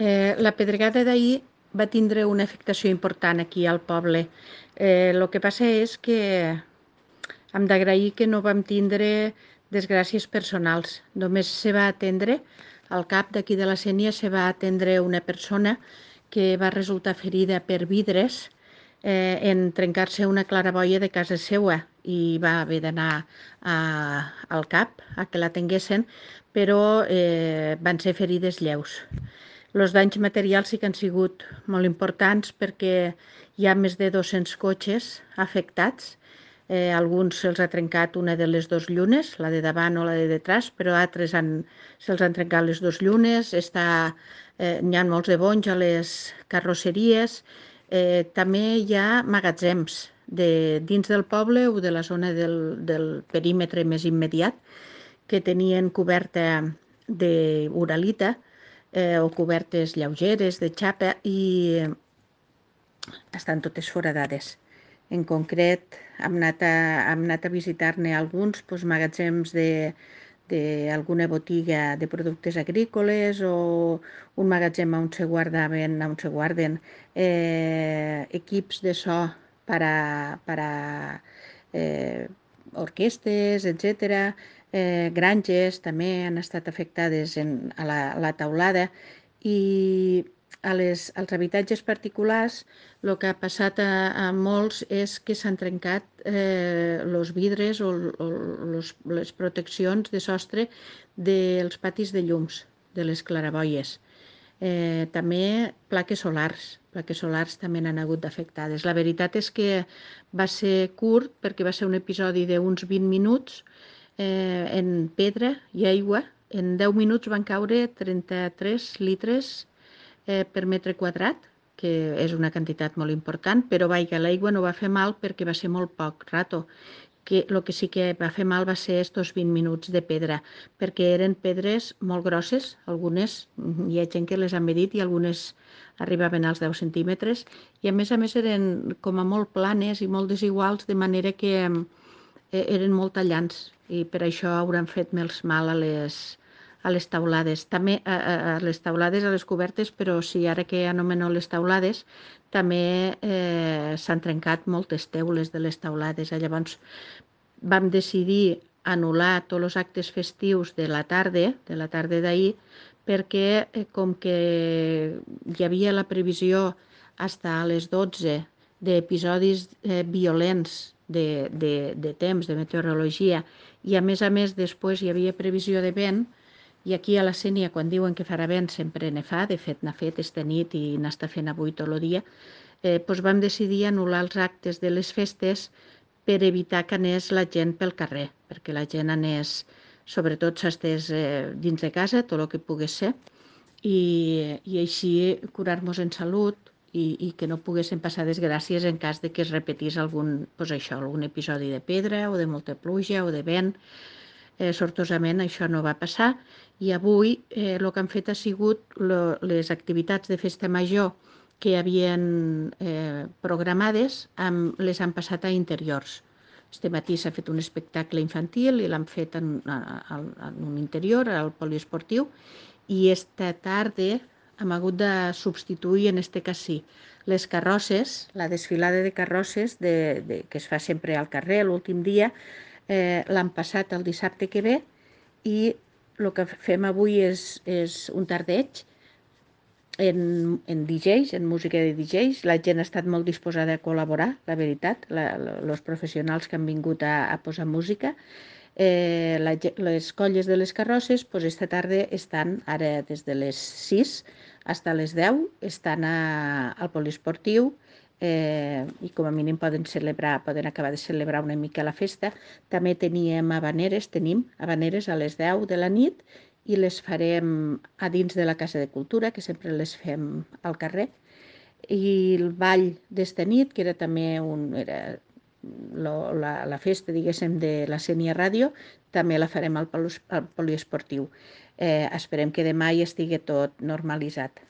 La pedregada d'ahir va tindre una afectació important aquí al poble. El que passa és que hem d'agrair que no vam tindre desgràcies personals. Només se va atendre, al cap d'aquí de la Sénia, se va atendre una persona que va resultar ferida per vidres en trencar-se una claraboia de casa seua i va haver d'anar al CAP a que l'atenguessin, però van ser ferides lleus. Els danys materials sí que han sigut molt importants perquè hi ha més de 200 cotxes afectats. Alguns se'ls ha trencat una de les dues llunes, la de davant o la de detrás, però altres se'ls han trencat les dues llunes. N'hi ha molts de bonys a les carrosseries. També hi ha magatzems dins del poble o de la zona del perímetre més immediat que tenien coberta d'uralita o cobertes lleugeres de xapa i estan totes foradades. En concret, hem anat a visitar-ne alguns magatzems d'alguna botiga de productes agrícoles o un magatzem on se guarden equips de so per a orquestes, etc. Granges també han estat afectades a la teulada i als habitatges particulars el que ha passat a molts és que s'han trencat els vidres o les proteccions de sostre dels patis de llums, de les claraboies. També plaques solars també n'han hagut d'afectades. La veritat és que va ser curt perquè va ser un episodi d'uns 20 minuts en pedra i aigua. En 10 minuts van caure 33 litres per metre quadrat, que és una quantitat molt important, però l'aigua no va fer mal perquè va ser molt poc rato. El que sí que va fer mal va ser estos 20 minuts de pedra, perquè eren pedres molt grosses, algunes, hi ha gent que les ha medit i algunes arribaven als 10 centímetres, i a més eren com a molt planes i molt desiguals, de manera que eren molt tallants, i per això hauran fet més mal a les taulades. També a les taulades, a les cobertes, però sí, ara que anomeno les taulades, també s'han trencat moltes teules de les taulades. Llavors vam decidir anul·lar tots els actes festius de la tarda d'ahir, perquè com que hi havia la previsió fins a les 12 d'episodis violents de temps, de meteorologia, i a més després hi havia previsió de vent, i aquí a la Sénia, quan diuen que farà vent, sempre ne fa, de fet n'ha fet esta nit i n'està fent avui tot el dia, vam decidir anul·lar els actes de les festes per evitar que anés la gent pel carrer, perquè la gent anés, sobretot s'estés dins de casa, tot el que pogués ser, i així curar-nos en salut i que no poguessin passar desgràcies en cas de que es repetís algun episodi de pedra o de molta pluja o de vent. Sortosament això no va passar, i avui el que han fet ha sigut les activitats de festa major que havien programades, les han passat a interiors. Este matí s'ha fet un espectacle infantil i l'han fet en un interior, al poliesportiu, i esta tarda hem hagut de substituir, en este cas sí, les carrosses, la desfilada de carrosses que es fa sempre al carrer l'últim dia, l'han passat el dissabte que ve, i el que fem avui és un tardeig en DJs, en música de DJs. La gent ha estat molt disposada a col·laborar, la veritat, els professionals que han vingut a posar música. Les colles de les carrosses esta tarda estan, ara des de les 6 fins a les 10, estan al poliesportiu, i com a mínim poden acabar de celebrar una mica la festa. També tenim havaneres a les 10 de la nit, i les farem a dins de la Casa de Cultura, que sempre les fem al carrer. I el ball d'esta nit, que era també la festa, diguéssim, de la Sénia Ràdio, també la farem al poliesportiu. Esperem que demà hi estigui tot normalitzat.